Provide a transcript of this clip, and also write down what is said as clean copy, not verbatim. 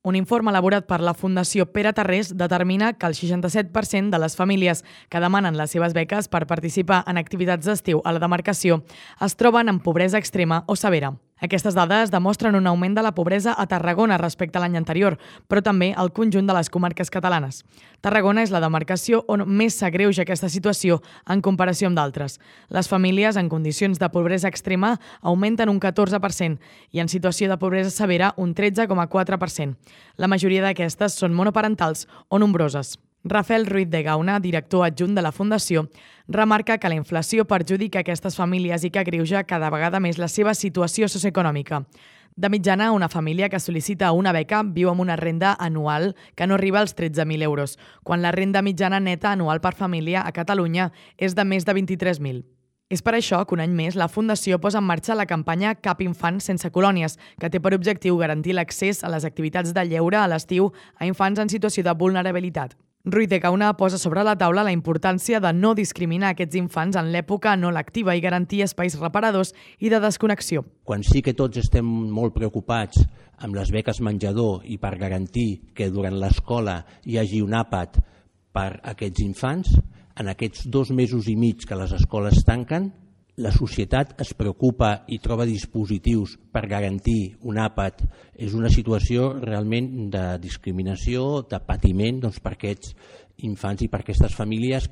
Un informe elaborat per la Fundació Pere Tarrés determina que el 67% de les famílies que demanen les seves beques per participar en activitats d'estiu a la demarcació es troben en pobresa extrema o severa. Aquestes dades demostren un augment de la pobresa a Tarragona respecte a l'any anterior, però també al conjunt de les comarques catalanes. Tarragona és la demarcació on més s'agreuja aquesta situació en comparació amb d'altres. Les famílies en condicions de pobresa extrema augmenten un 14% i en situació de pobresa severa un 13,4%. La majoria d'aquestes són monoparentals o nombroses. Rafael Ruiz de Gauna, director adjunt de la Fundació, remarca que la inflació perjudica aquestes famílies i que agreuja cada vegada més la seva situació socioeconòmica. De mitjana, una família que sol·licita una beca viu amb una renda anual que no arriba als 13.000 euros, quan la renda mitjana neta anual per família a Catalunya és de més de 23.000. És per això que un any més la Fundació posa en marxa la campanya Cap infant sense colònies, que té per objectiu garantir l'accés a les activitats de lleure a l'estiu a infants en situació de vulnerabilitat. Ruiz de Gauna posa sobre la taula la importància de no discriminar aquests infants en l'època no lectiva i garantir espais reparadors i de desconnexió. Quan sí que tots estem molt preocupats amb les beques menjador i per garantir que durant l'escola hi hagi un àpat per a aquests infants, en aquests 2 mesos i mig que les escoles tanquen, la societat es preocupa i troba dispositius per garantir un àpat. És una situació realment de discriminació, de patiment per aquests infants i per aquestes famílies